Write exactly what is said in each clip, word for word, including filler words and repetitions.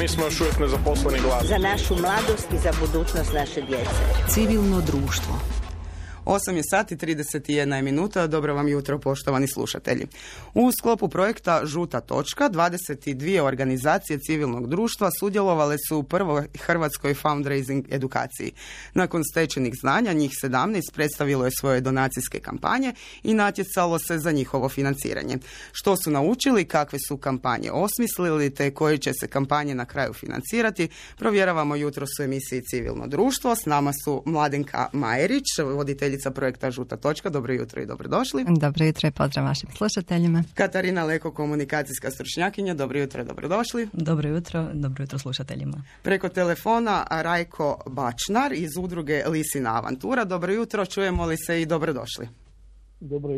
mi smo još uvijek nezaposleni glas. Za našu mladost i za budućnost naše djece. Civilno društvo. osam je sati trideset jedna je minuta. Dobro vam jutro, poštovani slušatelji. U sklopu projekta Žuta točka dvadeset dvije organizacije civilnog društva sudjelovale su u prvoj hrvatskoj fundraising edukaciji. Nakon stečenih znanja, njih sedamnaest predstavilo je svoje donacijske kampanje i natjecalo se za njihovo financiranje. Što su naučili, kakve su kampanje osmislili, te koje će se kampanje na kraju financirati, provjeravamo jutros u emisiji Civilno društvo. S nama su Mladenka Majerić, voditeljica projekta Žuta točka. Dobro jutro i dobrodošli. Dobro jutro i pozdrav vašim slušateljima. Katarina Leko, komunikacijska stručnjakinja. Dobro jutro i dobrodošli. Dobro jutro, dobro jutro slušateljima. Preko telefona Rajko Bačnar iz udruge Lisina avantura. Dobro jutro, čujemo li se i dobrodošli. Dobro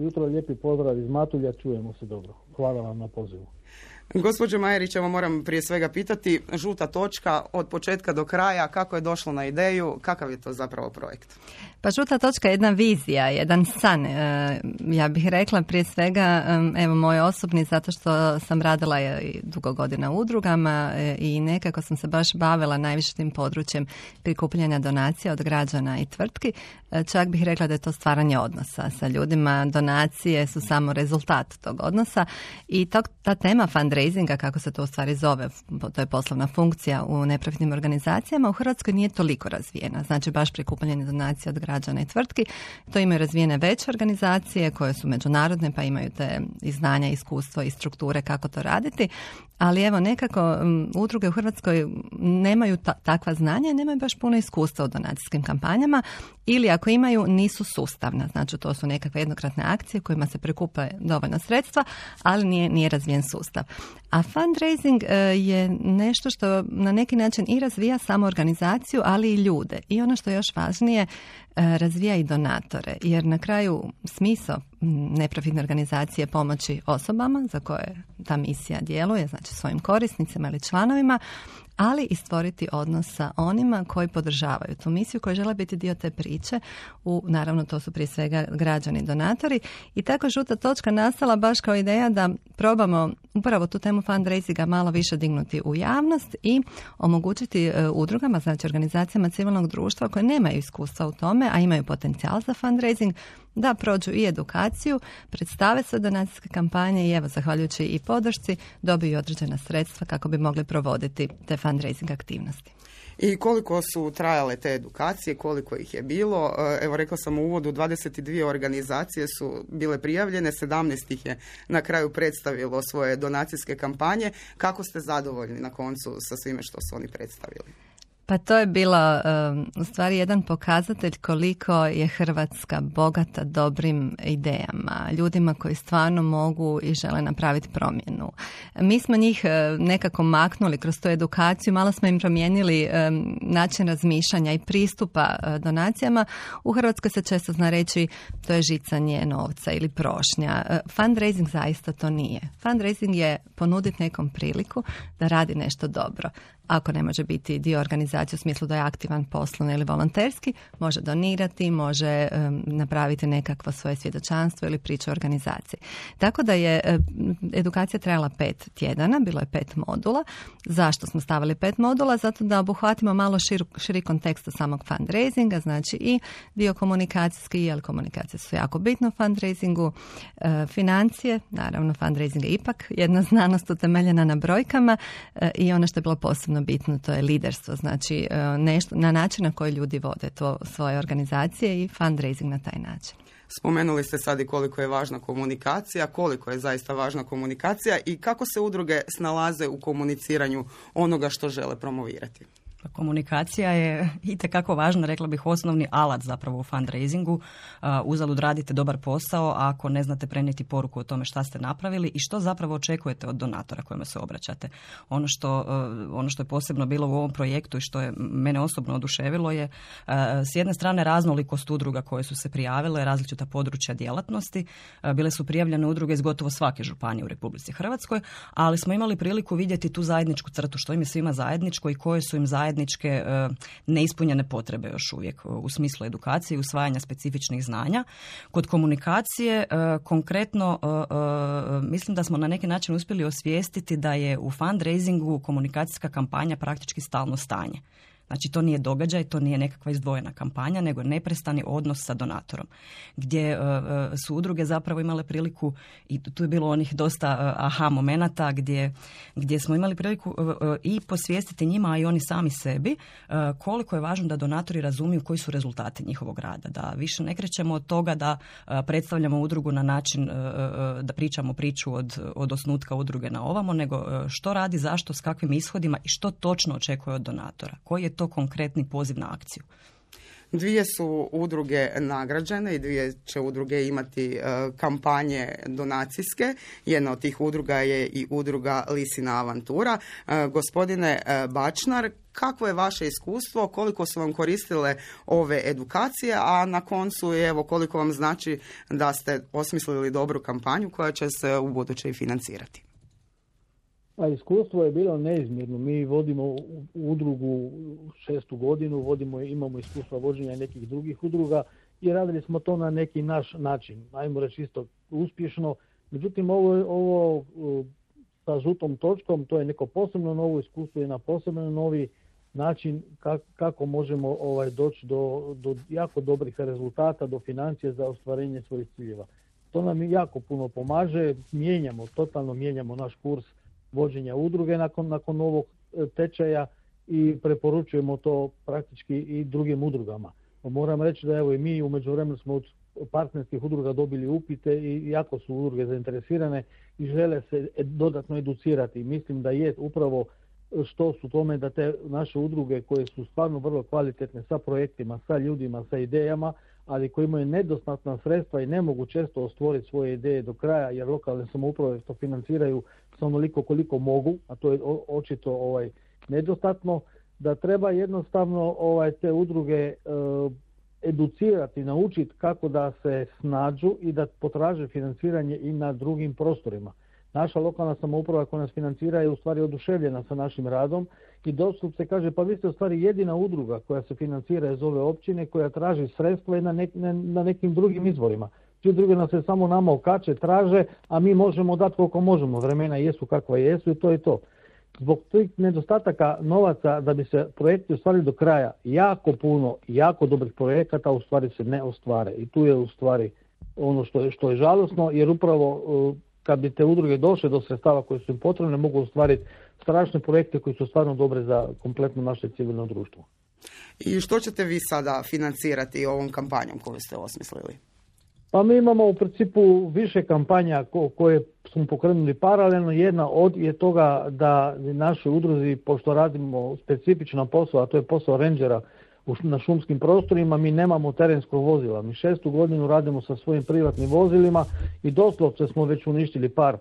jutro, lijepi pozdrav iz Matulja, čujemo se dobro. Hvala vam na pozivu. Gospođo Majerić, evo moram prije svega pitati, Žuta točka od početka do kraja, kako je došlo na ideju, kakav je to zapravo projekt? Pa Žuta točka je jedna vizija, jedan san. Ja bih rekla prije svega, evo moj osobni, zato što sam radila i dugo godina u udrugama i nekako sam se baš bavila najviše tim područjem prikupljanja donacija od građana i tvrtki. Čak bih rekla da je to stvaranje odnosa sa ljudima. Donacije su samo rezultat tog odnosa i to, ta tema fundraisinga, kako se to u stvari zove, to je poslovna funkcija u neprofitnim organizacijama, u Hrvatskoj nije toliko razvijena. Znači baš prikupljanje donacija od građana i tvrtki. To imaju razvijene veće organizacije koje su međunarodne, pa imaju te i znanja, iskustvo i strukture kako to raditi. Ali evo nekako um, udruge u Hrvatskoj nemaju ta- takva znanja i nemaju baš puno iskustva u donacijskim kampanjama ili ako imaju nisu sustavna. Znači to su nekakve jednokratne akcije kojima se prikupe dovoljno sredstva, ali nije, nije razvijen sustav. A fundraising uh, je nešto što na neki način i razvija samo organizaciju, ali i ljude. I ono što je još važnije, uh, razvija i donatore. Jer na kraju smisao neprofitne organizacije pomoći osobama za koje ta misija djeluje, znači svojim korisnicima ili članovima, ali i stvoriti odnos sa onima koji podržavaju tu misiju, koji žele biti dio te priče. U, naravno, to su prije svega građani donatori. I tako Žuta točka nastala baš kao ideja da probamo upravo tu temu fundraisinga malo više dignuti u javnost i omogućiti uh, udrugama, znači organizacijama civilnog društva koje nemaju iskustva u tome, a imaju potencijal za fundraising, da prođu i edukaciju, predstave sve donacijske kampanje i evo, zahvaljujući i podršci, dobiju određena sredstva kako bi mogli provoditi te fundraising aktivnosti. I koliko su trajale te edukacije, koliko ih je bilo? Evo, rekla sam u uvodu, dvadeset dvije organizacije su bile prijavljene, sedamnaest ih je na kraju predstavilo svoje donacijske kampanje. Kako ste zadovoljni na koncu sa svime što su oni predstavili? Pa to je bilo um, u stvari jedan pokazatelj koliko je Hrvatska bogata dobrim idejama, ljudima koji stvarno mogu i žele napraviti promjenu. Mi smo njih uh, nekako maknuli kroz tu edukaciju, malo smo im promijenili um, način razmišljanja i pristupa uh, donacijama. U Hrvatskoj se često zna reći to je žicanje novca ili prošnja. Uh, fundraising zaista to nije. Fundraising je ponuditi nekom priliku da radi nešto dobro. Ako ne može biti dio organizacije u smislu da je aktivan poslovno ili volonterski, može donirati, može um, napraviti nekakvo svoje svjedočanstvo ili priču o organizaciji. Tako da je um, edukacija trajala pet tjedana, bilo je pet modula. Zašto smo stavili pet modula? Zato da obuhvatimo malo šir, širi kontekst samog fundraisinga, znači i dio komunikacijski, jer komunikacije su jako bitne u fundraisingu, uh, financije, naravno fundraising je ipak jedna znanost utemeljena na brojkama uh, i ono što je bilo posebno bitno, to je liderstvo, znači nešto na način na koji ljudi vode to svoje organizacije i fundraising na taj način. Spomenuli ste sad i koliko je važna komunikacija, koliko je zaista važna komunikacija i kako se udruge snalaze u komuniciranju onoga što žele promovirati. Komunikacija je itekako važna, rekla bih osnovni alat zapravo u fundraisingu. Uzalud radite dobar posao, a ako ne znate prenijeti poruku o tome šta ste napravili i što zapravo očekujete od donatora kojima se obraćate. Ono što, ono što je posebno bilo u ovom projektu i što je mene osobno oduševilo je s jedne strane raznolikost udruga koje su se prijavile, različita područja djelatnosti. Bile su prijavljene udruge iz gotovo svake županije u Republici Hrvatskoj, ali smo imali priliku vidjeti tu zajedničku crtu, što im je svima zajedničko i koje su im zajedničke zajedničke e, neispunjene potrebe još uvijek u smislu edukacije i usvajanja specifičnih znanja. Kod komunikacije e, konkretno e, e, mislim da smo na neki način uspjeli osvijestiti da je u fundraisingu komunikacijska kampanja praktički stalno stanje. Znači to nije događaj, to nije nekakva izdvojena kampanja, nego neprestani odnos sa donatorom. Gdje uh, su udruge zapravo imale priliku, i tu je bilo onih dosta uh, aha momenata gdje, gdje smo imali priliku uh, uh, i posvijestiti njima, a i oni sami sebi, uh, koliko je važno da donatori razumiju koji su rezultati njihovog rada. Da više ne krećemo od toga da uh, predstavljamo udrugu na način uh, uh, da pričamo priču od, od osnutka udruge na ovamo, nego uh, što radi, zašto, s kakvim ishodima i što točno očekuje od donatora. Koji je to konkretni poziv na akciju? Dvije su udruge nagrađene i dvije će udruge imati uh, kampanje donacijske. Jedna od tih udruga je i udruga Lisina avantura. Uh, gospodine uh, Bačnar, kakvo je vaše iskustvo, koliko su vam koristile ove edukacije, a na koncu evo koliko vam znači da ste osmislili dobru kampanju koja će se u buduće i financirati? A iskustvo je bilo neizmjerno. Mi vodimo udrugu šestu godinu, vodimo, imamo iskustva vođenja nekih drugih udruga i radili smo to na neki naš način. Ajmo reći isto uspješno. Međutim, ovo, ovo sa žutom točkom, to je neko posebno novo iskustvo i na posebno novi način kako možemo ovaj, doći do, do jako dobrih rezultata, do financije za ostvarenje svojih ciljeva. To nam jako puno pomaže, mijenjamo, totalno mijenjamo naš kurs vođenja udruge nakon, nakon ovog tečaja i preporučujemo to praktički i drugim udrugama. Moram reći da evo i mi u međuvremenu smo od partnerskih udruga dobili upite i jako su udruge zainteresirane i žele se dodatno educirati. Mislim da je upravo što su tome da te naše udruge koje su stvarno vrlo kvalitetne sa projektima, sa ljudima, sa idejama, ali koji imaju nedostatna sredstva i ne mogu često ostvoriti svoje ideje do kraja, jer lokalne samouprave to financiraju sa onoliko koliko mogu, a to je očito ovaj, nedostatno, da treba jednostavno ovaj, te udruge e, educirati, naučiti kako da se snađu i da potraže financiranje i na drugim prostorima. Naša lokalna samouprava koja nas financira je u stvari oduševljena sa našim radom i doslovce se kaže pa vi ste u stvari jedina udruga koja se financira iz ove općine, koja traži sredstva i na, ne, ne, na nekim drugim izvorima. Svi drugi nas se samo nama okače, traže, a mi možemo dati koliko možemo. Vremena jesu kakva jesu i to je to. Zbog tih nedostataka novaca da bi se projekti ostvarili do kraja, jako puno, jako dobrih projekata u stvari se ne ostvare. I tu je u stvari ono što je, što je žalosno, jer upravo kad bi te udruge došle do sredstava koje su im potrebne, mogu ostvariti strašne projekte koji su stvarno dobre za kompletno naše civilno društvo. I što ćete vi sada financirati ovom kampanjom koju ste osmislili? Pa mi imamo u principu više kampanja ko, koje smo pokrenuli paralelno. Jedna od je toga da naše udruzi, pošto radimo specifičan posao, a to je posao rendžera na šumskim prostorima, mi nemamo terenskog vozila. Mi šestu godinu radimo sa svojim privatnim vozilima i doslovce smo već uništili par,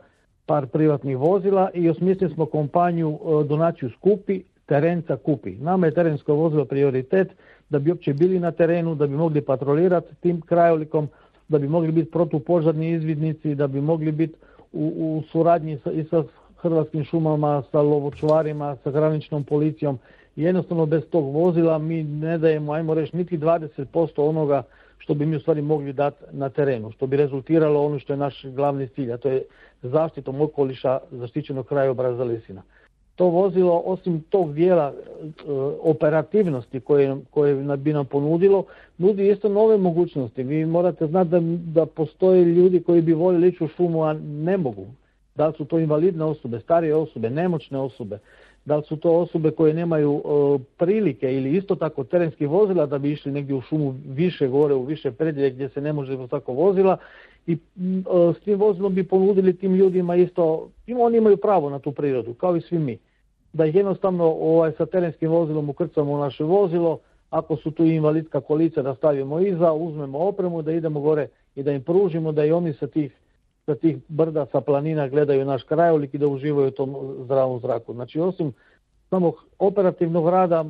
par privatnih vozila i osmislili smo kampanju donaciju skupi, terenca kupi. Nama je terensko vozilo prioritet da bi uopće bili na terenu, da bi mogli patrolirati tim krajolikom, da bi mogli biti protupožarni izvidnici, da bi mogli biti u, u suradnji sa, i sa Hrvatskim šumama, sa lovočuvarima, sa graničnom policijom. Jednostavno bez tog vozila mi ne dajemo, ajmo reći, niti dvadeset posto onoga što bi mi u stvari mogli dati na terenu, što bi rezultiralo ono što je naš glavni cilj, a to je zaštitom okoliša zaštićenog krajobraza Lisina. To vozilo, osim tog dijela e, operativnosti koje, koje bi nam ponudilo, nudi isto nove mogućnosti. Vi morate znati da, da postoje ljudi koji bi voljeli ići u šumu, a ne mogu. Da li su to invalidne osobe, starije osobe, nemoćne osobe, da li su to osobe koje nemaju e, prilike ili isto tako terenskih vozila da bi išli negdje u šumu više gore, u više predjelje gdje se ne može tako vozila. I e, s tim vozilom bi ponudili tim ljudima isto, oni imaju pravo na tu prirodu, kao i svi mi. Da ih jednostavno ovaj, sa terenskim vozilom ukrcamo u naše vozilo, ako su tu invalidska kolica da stavimo iza, uzmemo opremu, da idemo gore i da im pružimo, da i oni sa tih, sa tih brda, sa planina gledaju naš krajolik i da uživaju u tom zdravom zraku. Znači, osim samog operativnog rada,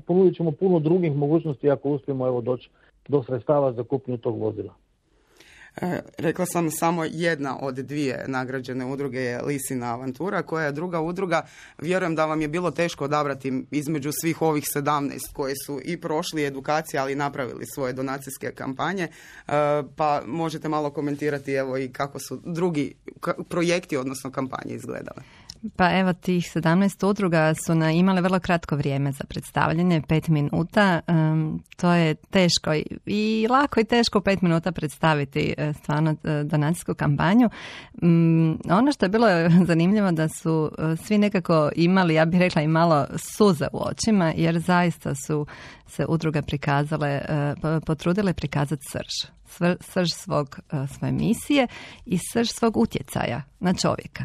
ponudit ćemo puno drugih mogućnosti ako uspijemo evo, doći do sredstava za kupnju tog vozila. E, rekla sam samo jedna od dvije nagrađene udruge je Lisina avantura, koja je druga udruga. Vjerujem da vam je bilo teško odabrati između svih ovih sedamnaest koji su i prošli edukacije, ali i napravili svoje donacijske kampanje. E, pa možete malo komentirati evo i kako su drugi projekti, odnosno kampanje izgledale. Pa evo, tih sedamnaest udruga su na, imale vrlo kratko vrijeme za predstavljanje, pet minuta. Um, to je teško i lako i teško u pet minuta predstaviti stvarno donacijsku kampanju. Um, ono što je bilo zanimljivo da su svi nekako imali, ja bih rekla, i malo suze u očima, jer zaista su se udruge prikazale, uh, potrudile prikazati srž. Srž svog, svoje misije i srž svog utjecaja na čovjeka.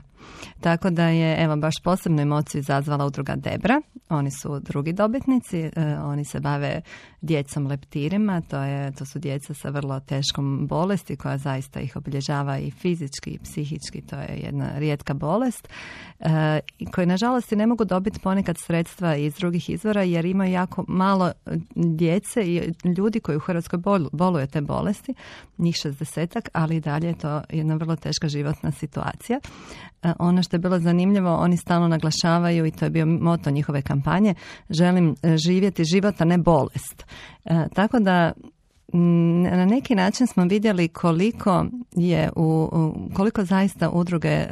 Tako da je, evo, baš posebnu emociju izazvala udruga Debra. Oni su drugi dobitnici, e, oni se bave djecom leptirima, to, je, to su djeca sa vrlo teškom bolesti koja zaista ih obilježava i fizički i psihički, to je jedna rijetka bolest, e, koji nažalost i ne mogu dobiti ponekad sredstva iz drugih izvora jer imaju jako malo djece i ljudi koji u Hrvatskoj bol, boluju te bolesti, njih šezdesetak, ali i dalje je to jedna vrlo teška životna situacija. E, ono što je bilo zanimljivo, oni stalno naglašavaju, i to je bio moto njihove kampanje, želim živjeti život, a ne bolest. E, tako da na neki način smo vidjeli koliko je u, koliko zaista udruge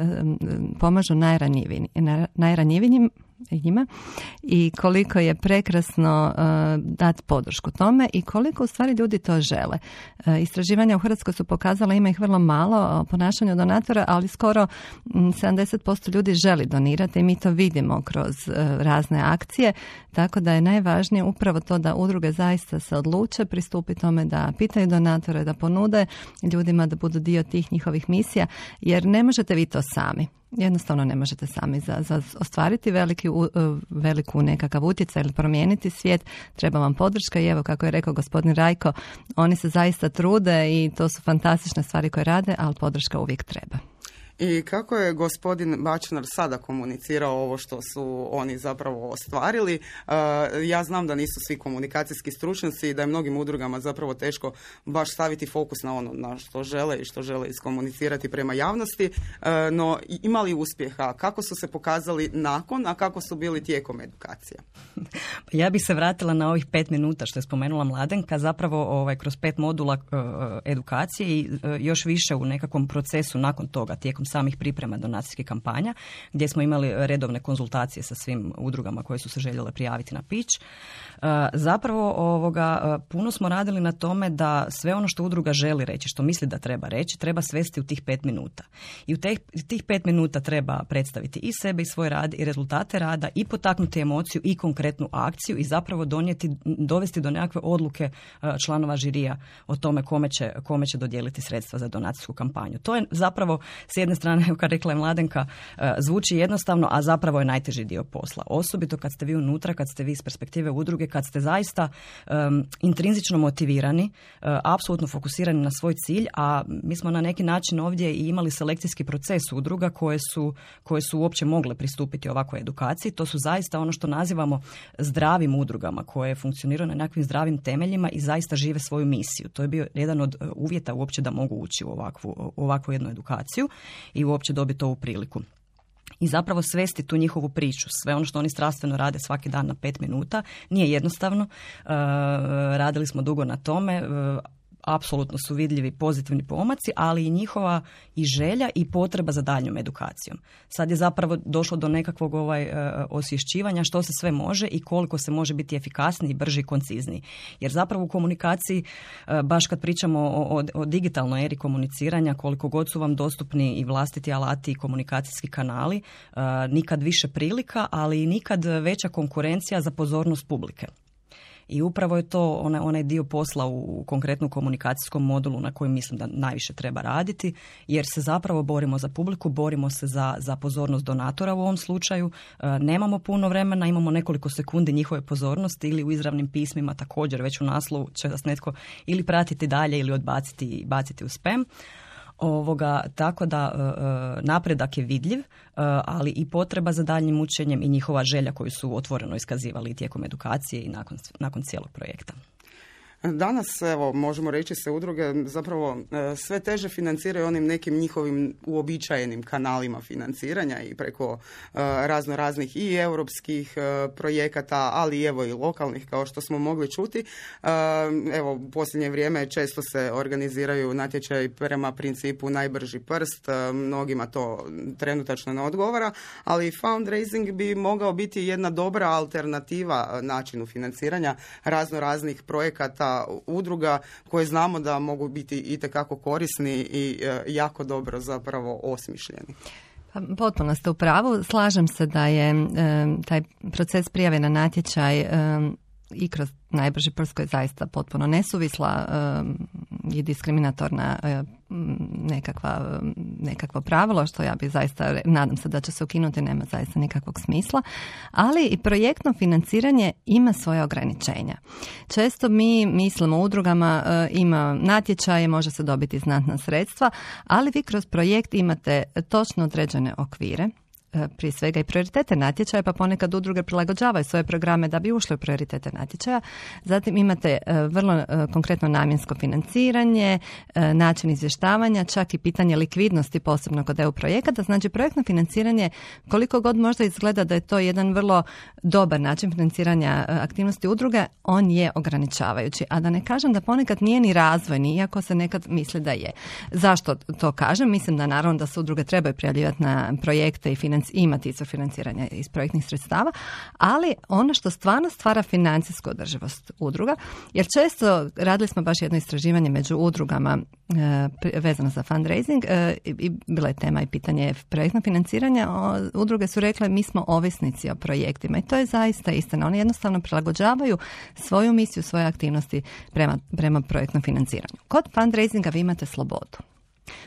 pomažu najranjivijim, najranjivijim njima i koliko je prekrasno uh, dati podršku tome i koliko u stvari ljudi to žele. Uh, istraživanja u Hrvatskoj su pokazala, ima ih vrlo malo o ponašanju donatora, ali skoro um, sedamdeset posto ljudi želi donirati i mi to vidimo kroz uh, razne akcije, tako da je najvažnije upravo to da udruge zaista se odluče pristupiti tome, da pitaju donatore, da ponude ljudima da budu dio tih njihovih misija, jer ne možete vi to sami. Jednostavno ne možete sami za, za ostvariti veliki, veliku nekakav utjecaj ili promijeniti svijet. Treba vam podrška i evo, kako je rekao gospodin Rajko, oni se zaista trude i to su fantastične stvari koje rade, ali podrška uvijek treba. I kako je gospodin Bačnar sada komunicirao ovo što su oni zapravo ostvarili? Uh, ja znam da nisu svi komunikacijski stručnjaci i da je mnogim udrugama zapravo teško baš staviti fokus na ono na što žele i što žele iskomunicirati prema javnosti, uh, no ima li uspjeha? Kako su se pokazali nakon, a kako su bili tijekom edukacije? Ja bih se vratila na ovih pet minuta što je spomenula Mladenka, zapravo ovaj, kroz pet modula uh, edukacije i uh, još više u nekakvom procesu nakon toga, tijekom samih priprema donacijskih kampanja, gdje smo imali redovne konzultacije sa svim udrugama koje su se željele prijaviti na pitch. Zapravo ovoga, puno smo radili na tome da sve ono što udruga želi reći, što misli da treba reći, treba svesti u tih pet minuta. I u teh, tih pet minuta treba predstaviti i sebe i svoj rad i rezultate rada i potaknuti emociju i konkretnu akciju i zapravo donijeti, dovesti do nekakve odluke članova žirija o tome kome će, kome će dodijeliti sredstva za donacijsku kampanju. To je zapravo s jedne strane, kao rekla je Mladenka, zvuči jednostavno, a zapravo je najteži dio posla. Osobito kad ste vi unutra, kad ste vi iz perspektive udruge, kad ste zaista um, intrinzično motivirani, uh, apsolutno fokusirani na svoj cilj, a mi smo na neki način ovdje i imali selekcijski proces udruga koje su, koje su uopće mogle pristupiti ovakvoj edukaciji. To su zaista ono što nazivamo zdravim udrugama, koje funkcioniraju na nekakvim zdravim temeljima i zaista žive svoju misiju. To je bio jedan od uvjeta uopće da mogu ući u ovakvu, u ovakvu jednu edukaciju i uopće dobiti ovu priliku. I zapravo svesti tu njihovu priču, sve ono što oni strastveno rade svaki dan na pet minuta, nije jednostavno. E, radili smo dugo na tome, e, apsolutno su vidljivi pozitivni pomaci, ali i njihova i želja i potreba za daljnjom edukacijom. Sad je zapravo došlo do nekakvog ovaj, e, osvješćivanja što se sve može i koliko se može biti efikasniji, brži i koncizniji. Jer zapravo u komunikaciji, e, baš kad pričamo o, o, o digitalnoj eri komuniciranja, koliko god su vam dostupni i vlastiti alati i komunikacijski kanali, e, nikad više prilika, ali i nikad veća konkurencija za pozornost publike. I upravo je to onaj, onaj dio posla u konkretnom komunikacijskom modulu na kojem mislim da najviše treba raditi, jer se zapravo borimo za publiku, borimo se za, za pozornost donatora u ovom slučaju. E, nemamo puno vremena, imamo nekoliko sekundi njihove pozornosti ili u izravnim pismima također već u naslovu će vas netko ili pratiti dalje ili odbaciti i baciti u spam. Ovoga, tako da e, napredak je vidljiv, e, ali i potreba za daljnjim učenjem i njihova želja koju su otvoreno iskazivali tijekom edukacije i nakon, nakon cijelog projekta. Danas, evo, možemo reći se udruge zapravo sve teže financiraju onim nekim njihovim uobičajenim kanalima financiranja i preko razno raznih i europskih projekata, ali evo i lokalnih, kao što smo mogli čuti. Evo, u posljednje vrijeme često se organiziraju natječaji prema principu najbrži prst, mnogima to trenutačno ne odgovara, ali fundraising bi mogao biti jedna dobra alternativa načinu financiranja razno raznih projekata, udruga koje znamo da mogu biti itekako korisni i jako dobro zapravo osmišljeni. Pa, potpuno ste u pravu. Slažem se da je e, taj proces prijave na natječaj e, i kroz najbrži prst koji je zaista potpuno nesuvisla e, i diskriminatorna e, nekakva, nekakvo pravilo, što ja bih zaista, nadam se da će se ukinuti, nema zaista nikakvog smisla, ali i projektno financiranje ima svoje ograničenja. Često mi mislimo u udrugama, e, ima natječaje, može se dobiti znatna sredstva, ali vi kroz projekt imate točno određene okvire, prije svega i prioritete natječaja, pa ponekad udruge prilagođavaju svoje programe da bi ušle u prioritete natječaja. Zatim imate vrlo konkretno namjensko financiranje, način izvještavanja, čak i pitanje likvidnosti, posebno kod E U projekata. Znači, projektno financiranje, koliko god možda izgleda da je to jedan vrlo dobar način financiranja aktivnosti udruge, on je ograničavajući. A da ne kažem da ponekad nije ni razvojni, iako se nekad misli da je. Zašto to kažem? Mislim da naravno da se udruge trebaju prijavljivati na projekte i financiranje, imati izvor financiranja iz projektnih sredstava, ali ono što stvarno stvara financijsku održivost udruga, jer često radili smo baš jedno istraživanje među udrugama e, vezano za fundraising e, i bila je tema i pitanje projektnog financiranja. O, udruge su rekle mi smo ovisnici o projektima i to je zaista istina. Oni jednostavno prilagođavaju svoju misiju, svoje aktivnosti prema, prema projektnom financiranju. Kod fundraisinga vi imate slobodu.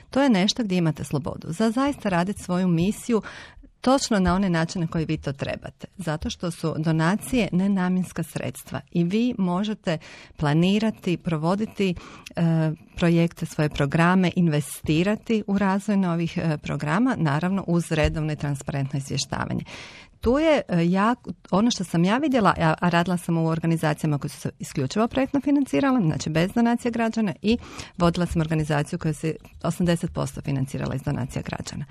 To je nešto gdje imate slobodu za zaista raditi svoju misiju točno na one načine koji vi to trebate. Zato što su donacije nenamjenska sredstva i vi možete planirati, provoditi e, projekte, svoje programe, investirati u razvoj novih e, programa, naravno uz redovno i transparentno izvještavanje. Tu je ja, ono što sam ja vidjela, a radila sam u organizacijama koje su se isključivo projektno financirale, znači bez donacija građana, i vodila sam organizaciju koja se osamdeset posto financirala iz donacija građana.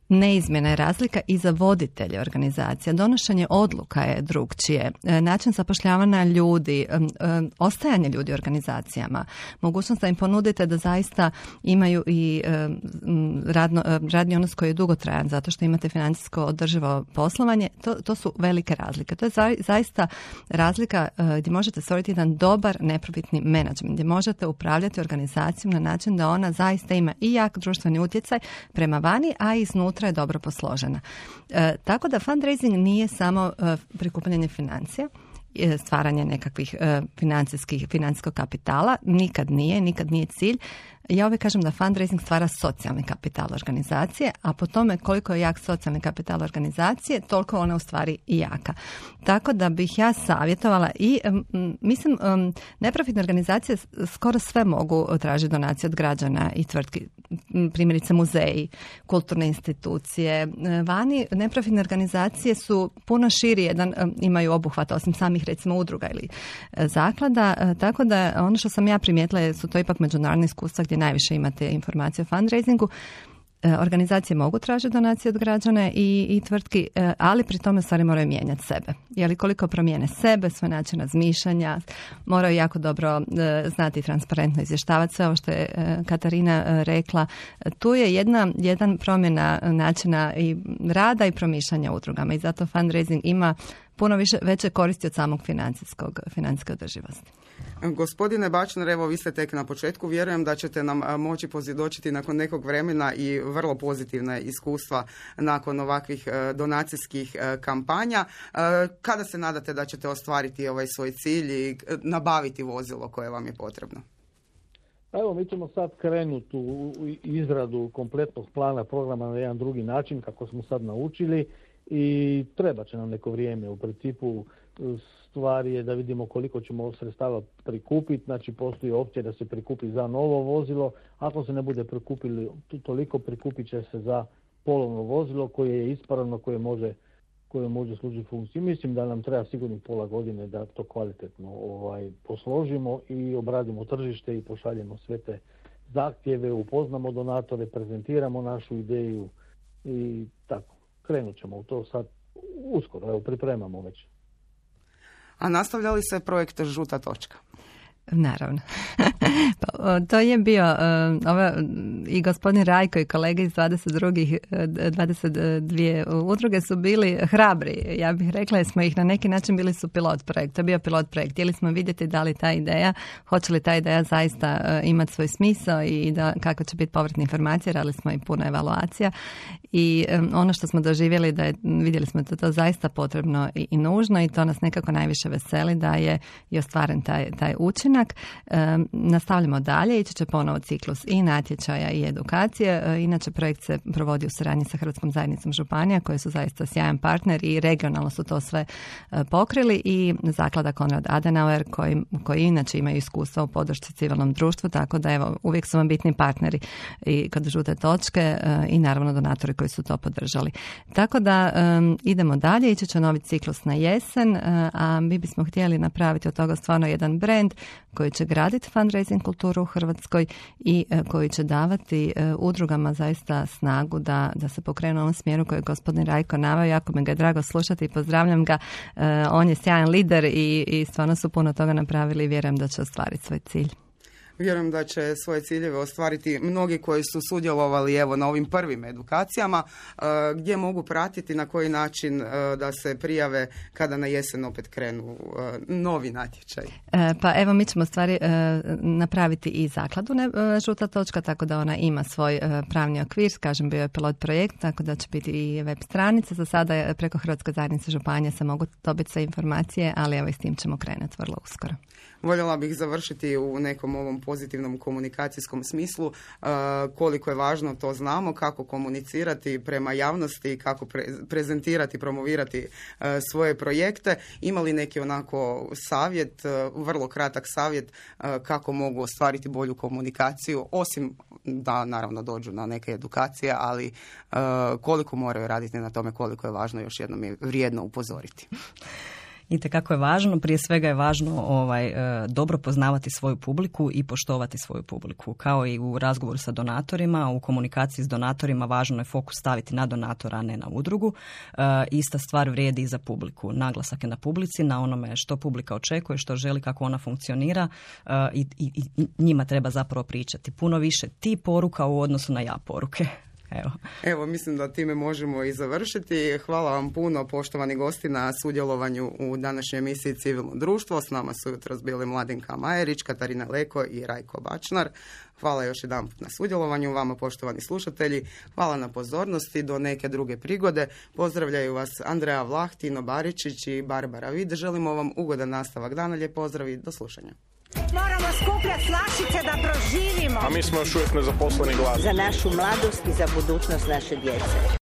Neizmjena je razlika i za voditelje organizacija. Donošenje odluka je drugčije. Način zapošljavanja ljudi, ostajanje ljudi u organizacijama, mogućnost da im ponudite da zaista imaju i radno, radni odnos koji je dugotrajan zato što imate financijsko održivo poslovanje, to, to su velike razlike. To je za, zaista razlika gdje možete stvoriti jedan dobar neprofitni menadžment, gdje možete upravljati organizacijom na način da ona zaista ima i jak društveni utjecaj prema vani, a i iznutra je dobro posložena. E, tako da fundraising nije samo e, prikupljanje financija, e, stvaranje nekakvih e, financijskih, financijskog kapitala, nikad nije, nikad nije cilj. Ja uvijek kažem da fundraising stvara socijalni kapital organizacije, a po tome koliko je jak socijalni kapital organizacije, toliko ona u stvari i jaka. Tako da bih ja savjetovala i m, mislim, m, neprofitne organizacije skoro sve mogu tražiti donacije od građana i tvrtki, primjerice muzeji, kulturne institucije. Vani neprofitne organizacije su puno širi, jedan imaju obuhvat osim samih recimo udruga ili zaklada, tako da ono što sam ja primijetila su to ipak međunarodne iskustva gdje najviše imate informacije o fundraisingu. Organizacije mogu tražiti donacije od građana i, i tvrtki, ali pri tome stvari moraju mijenjati sebe. Jer koliko promijene sebe, svoj način razmišljanja, moraju jako dobro znati transparentno izvještavati sve ovo što je Katarina rekla. Tu je jedna, jedan promjena načina i rada i promišljanja udrugama i zato fundraising ima puno više, veće koristi od samog financijskog, financijske održivosti. Gospodine Bačner, evo vi ste tek na početku, vjerujem da ćete nam moći posvjedočiti nakon nekog vremena i vrlo pozitivna iskustva nakon ovakvih donacijskih kampanja. Kada se nadate da ćete ostvariti ovaj svoj cilj i nabaviti vozilo koje vam je potrebno? Evo, mi ćemo sad krenuti u izradu kompletnog plana programa na jedan drugi način, kako smo sad naučili, i treba će nam neko vrijeme. U principu stvar je da vidimo koliko ćemo sredstava prikupiti, znači postoji opcija da se prikupi za novo vozilo, ako se ne bude prikupili toliko, prikupit će se za polovno vozilo koje je ispravno, koje može koje može služiti funkciji. Mislim da nam treba sigurno pola godine da to kvalitetno ovaj, posložimo i obradimo tržište i pošaljemo sve te zahtjeve, upoznamo donatore, prezentiramo našu ideju i tako. Krenut ćemo u to sad uskoro, evo pripremamo već. A nastavlja li se projekt Žuta točka? Naravno. Pa, to je bio uh, ova, i gospodin Rajko i kolege iz dvadeset dvije udruge su bili hrabri. Ja bih rekla jer smo ih na neki način bili su pilot projekt. To je bio pilot projekt. Htjeli smo vidjeti da li ta ideja, hoće li ta ideja zaista uh, imati svoj smisao i da, kako će biti povratne informacije. Radili smo i puno evaluacija i um, ono što smo doživjeli da je, vidjeli smo da to zaista potrebno i, i nužno i to nas nekako najviše veseli da je i ostvaren taj, taj učinak. E, nastavljamo dalje, ići će ponovo ciklus i natječaja i edukacije. E, inače projekt se provodi u suradnji sa Hrvatskom zajednicom županija koji su zaista sjajan partner i regionalno su to sve e, pokrili i zaklada Konrad Adenauer koji, koji inače imaju iskustva u podršci civilnom društvu, tako da evo uvijek su vam bitni partneri i kod Žute točke e, i naravno donatori koji su to podržali. Tako da e, idemo dalje, ići će novi ciklus na jesen, e, a mi bismo htjeli napraviti od toga stvarno jedan brand koji će graditi fundraising kulturu u Hrvatskoj i e, koji će davati e, udrugama zaista snagu da, da se pokrenu u ovom smjeru koji je gospodin Rajko naveo. Jako mi ga je drago slušati i pozdravljam ga. E, on je sjajan lider i, i stvarno su puno toga napravili i vjerujem da će ostvariti svoj cilj. Vjerujem da će svoje ciljeve ostvariti mnogi koji su sudjelovali evo na ovim prvim edukacijama, gdje mogu pratiti na koji način da se prijave kada na jesen opet krenu novi natječaj. E, pa evo mi ćemo stvari e, napraviti i zakladu ne, Žuta točka, tako da ona ima svoj e, pravni okvir, kažem bio je pilot projekt, tako da će biti i web stranica. Za sada je preko Hrvatske zajednice županije se mogu dobiti sve informacije, ali evo i s tim ćemo krenuti vrlo uskoro. Voljela bih završiti u nekom ovom pozitivnom komunikacijskom smislu. Uh, koliko je važno to znamo, kako komunicirati prema javnosti, kako pre- prezentirati, promovirati uh, svoje projekte. Ima li neki onako savjet, uh, vrlo kratak savjet uh, kako mogu ostvariti bolju komunikaciju, osim da naravno dođu na neke edukacije, ali uh, koliko moraju raditi na tome, koliko je važno, još jednom je vrijedno upozoriti. Itekako je važno, prije svega je važno ovaj, dobro poznavati svoju publiku i poštovati svoju publiku. Kao i u razgovoru sa donatorima, u komunikaciji s donatorima važno je fokus staviti na donatora, a ne na udrugu. E, ista stvar vrijedi i za publiku. Naglasak je na publici, na onome što publika očekuje, što želi, kako ona funkcionira e, i, i, i njima treba zapravo pričati. Puno više ti poruka u odnosu na ja poruke. Evo. Evo, mislim da time možemo i završiti. Hvala vam puno, poštovani gosti, na sudjelovanju u današnjoj emisiji Civilno društvo. S nama su jutros bili Mladenka Majerić, Katarina Leko i Rajko Bačnar. Hvala još jedan put na sudjelovanju vama, poštovani slušatelji. Hvala na pozornosti. Do neke druge prigode. Pozdravljaju vas Andreja Vlah, Tino Baričić i Barbara Vid. Želimo vam ugodan nastavak dana. Lijep pozdrav i do slušanja. Moramo skupljati flašice da proživimo. A mi smo još uvijek nezaposleni glas. Za našu mladost i za budućnost naše djece.